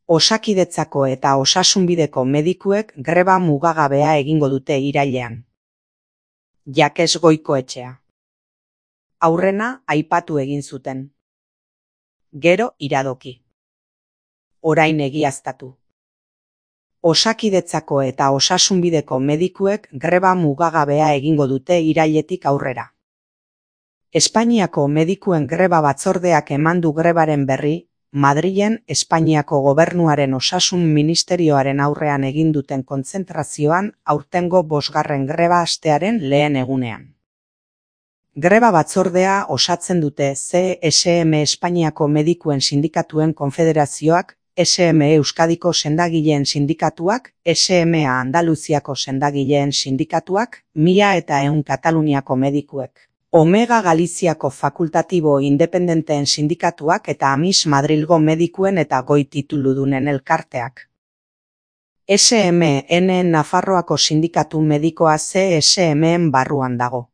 Osakidetzako eta Osasunbideko medikuek greba mugagabea egingo dute irailean. Jakes Goikoetxea. Aurrena aipatu egin zuten. Gero iradoki. Orain egiaztatu. Osakidetzako eta Osasunbideko medikuek greba mugagabea egingo dute irailetik aurrera. Espainiako medikuen greba batzordeak eman du grebaren berri, Madrilen Espainiako gobernuaren osasun ministerioaren aurrean egin duten kontzentrazioan aurtengo 5. greba astearen lehen egunean. Greba batzordea osatzen dute CSM Espainiako medikuen sindikatuen konfederazioak, SM Euskadiko sendagileen sindikatuak, SMA Andaluziako sendagileen sindikatuak, 1100 Kataluniako medikuek. Omega Galiziako fakultatibo independenteen sindikatuak eta Amis Madrilgo medikuen eta goi tituludunen elkarteak. SMN Nafarroako sindikatu medikoa CSMen barruan dago.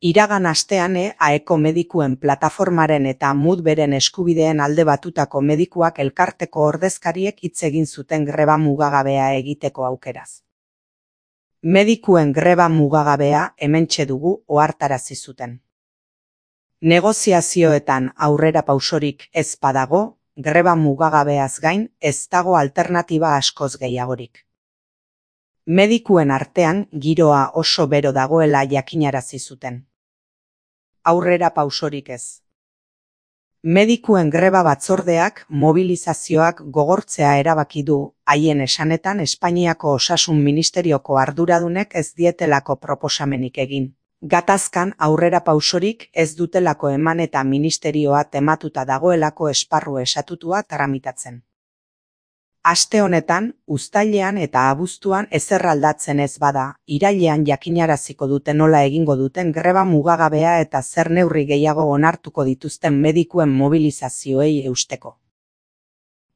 Iragan astean AEko medikuen plataformaren eta Mudberen eskubideen alde batutako medikuak elkarteko ordezkariek hitz egin zuten greba mugagabea egiteko aukeraz. Medikuen greba mugagabea hementxe dugu ohartarazi zuten. Negoziazioetan aurrera pausorik ez badago, greba mugagabeaz gain ez dago alternatiba askoz gehiagorik. Medikuen artean giroa oso bero dagoela jakinarazi zuten. Aurrera pausorik ez. Medikuen greba batzordeak mobilizazioak gogortzea erabaki du, haien esanetan Espainiako Osasun Ministerioko arduradunek ez dietelako proposamenik egin. Gatazkan aurrera pausorik ez dutelako eman eta ministerioa tematuta dagoelako esparru estatutua tramitatzen. Aste honetan, uztailean eta abuztuan ezer aldatzen ez bada, irailean jakinaraziko dute nola egingo duten greba mugagabea eta zer neurri gehiago onartuko dituzten medikuen mobilizazioei eusteko.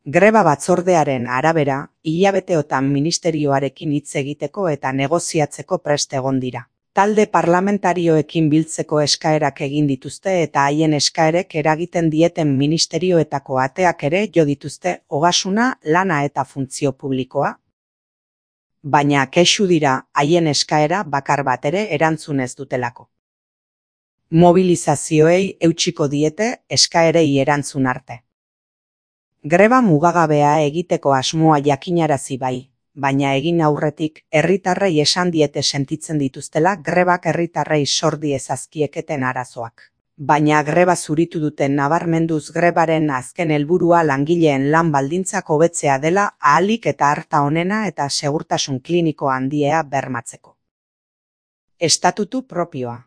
Greba batzordearen arabera, hilabeteotan ministerioarekin hitz egiteko eta negoziatzeko prest egon dira. Talde parlamentarioekin biltzeko eskaerak egin dituzte eta haien eskaerek eragiten dieten ministerioetako ateak ere jo dituzte ogasuna, lana eta funtzio publikoa. Baina kexu dira haien eskaera bakar bat ere erantzun ez dutelako. Mobilizazioei eutsiko diete eskaerei erantzun arte. Greba mugagabea egiteko asmoa jakinarazi bai. Baina egin aurretik herritarrei esan diete sentitzen dituztela grebak herritarrei sor diezazkieketen arazoak. Baina greba zuritu duten nabarmenduz grebaren azken helburua langileen lan baldintzak hobetzea dela ahalik eta harta onena eta segurtasun kliniko handiea bermatzeko. Estatutu propioa.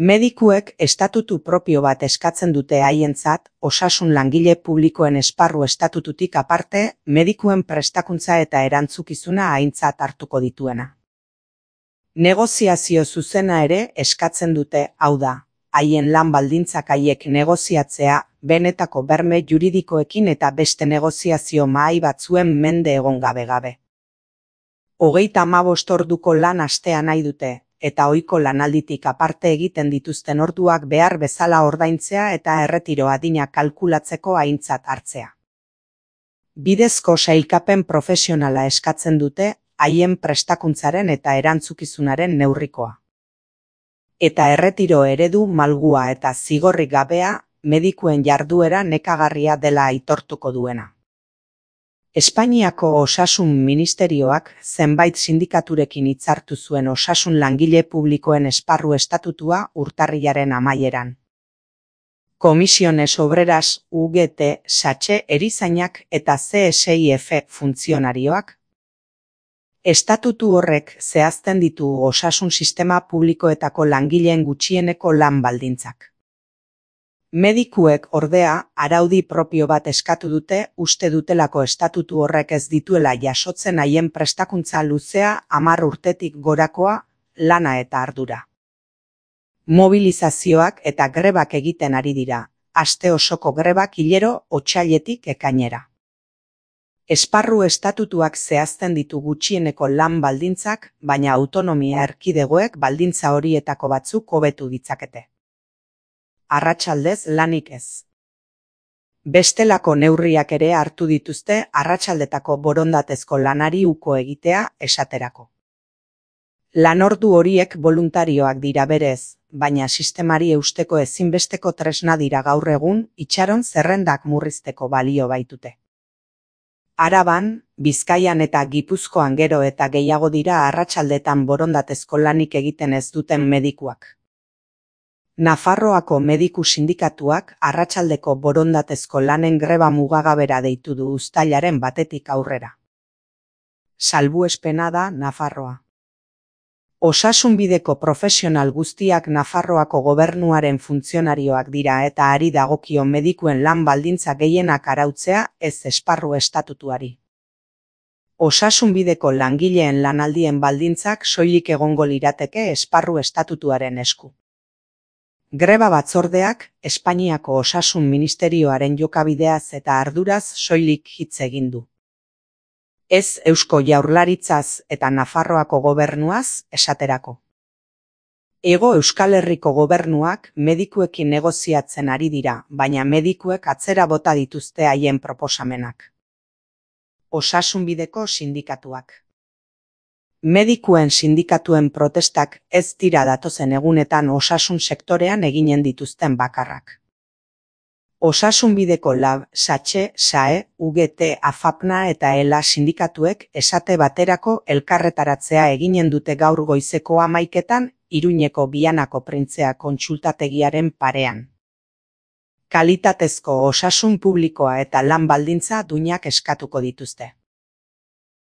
Medikuek estatutu propio bat eskatzen dute haientzat, osasun langile publikoen esparru estatututik aparte, medikuen prestakuntza eta erantzukizuna aintzat hartuko dituena. Negoziazio zuzena ere eskatzen dute, hau da, haien lan baldintzak haiek negoziatzea, benetako berme juridikoekin eta beste negoziazio mahai batzuen mende egon gabe. 35 orduko lan astea nahi dute. Eta ohiko lanalditik aparte egiten dituzten orduak behar bezala ordaintzea eta erretiro adina kalkulatzeko aintzat hartzea. Bidezko sailkapen profesionala eskatzen dute haien prestakuntzaren eta erantzukizunaren neurrikoa. Eta erretiro eredu malgua eta zigorrik gabea medikuen jarduera nekagarria dela aitortuko duena. Espainiako Osasun Ministerioak zenbait sindikaturekin hitzartu zuen osasun langile publikoen esparru estatutua urtarrilaren amaieran. Comisiones Obreras, UGT, SACHE erizainak eta CSIF funtzionarioak. Estatutu horrek zehazten ditu osasun sistema publikoetako langileen gutxieneko lan baldintzak. Medikuek ordea araudi propio bat eskatu dute uste dutelako estatutu horrek ez dituela jasotzen haien prestakuntza luzea 10 urtetik gorakoa, lana eta ardura. Mobilizazioak eta grebak egiten ari dira, aste osoko grebak hilero otsailetik ekainera. Esparru estatutuak zehazten ditu gutxieneko lan baldintzak, baina autonomia erkidegoek baldintza horietako batzuk hobetu ditzakete. Arratsaldez lanik ez. Bestelako neurriak ere hartu dituzte arratsaldetako borondatezko lanari uko egitea esaterako. Lanordu horiek boluntarioak dira berez, baina sistemari eusteko ezinbesteko tresna dira gaur egun itxaron zerrendak murrizteko balio baitute. Araban, Bizkaian eta Gipuzkoan gero eta gehiago dira arratsaldetan borondatezko lanik egiten ez duten medikuak. Nafarroako mediku sindikatuak arratsaldeko borondatezko lanen greba mugagabera deitu du uztailaren 1 aurrera. Salbuespena da Nafarroa. Osasunbideko profesional guztiak Nafarroako gobernuaren funtzionarioak dira eta ari dagokio medikuen lan baldintza gehienak arautzea ez esparru estatutuari. Osasunbideko langileen lanaldien baldintzak soilik egongo lirateke esparru estatutuaren esku. Greba batzordeak Espainiako Osasun Ministerioaren jokabideaz eta arduraz soilik hitz egin du. Ez Eusko Jaurlaritzaz eta Nafarroako gobernuaz esaterako. Hego Euskal Herriko gobernuak medikuekin negoziatzen ari dira, baina medikuek atzera bota dituzte haien proposamenak. Osasunbideko sindikatuak. Medikuen sindikatuen protestak ez dira datozen egunetan osasun sektorean eginen dituzten bakarrak. Osasunbideko LAB, SATXE, SAE, UGT, AFAPNA eta ELA sindikatuek esate baterako elkarretaratzea eginen dute gaur goizeko 11etan Iruñeko Bianako Printzea kontsultategiaren parean. Kalitatezko osasun publikoa eta lan baldintza duinak eskatuko dituzte.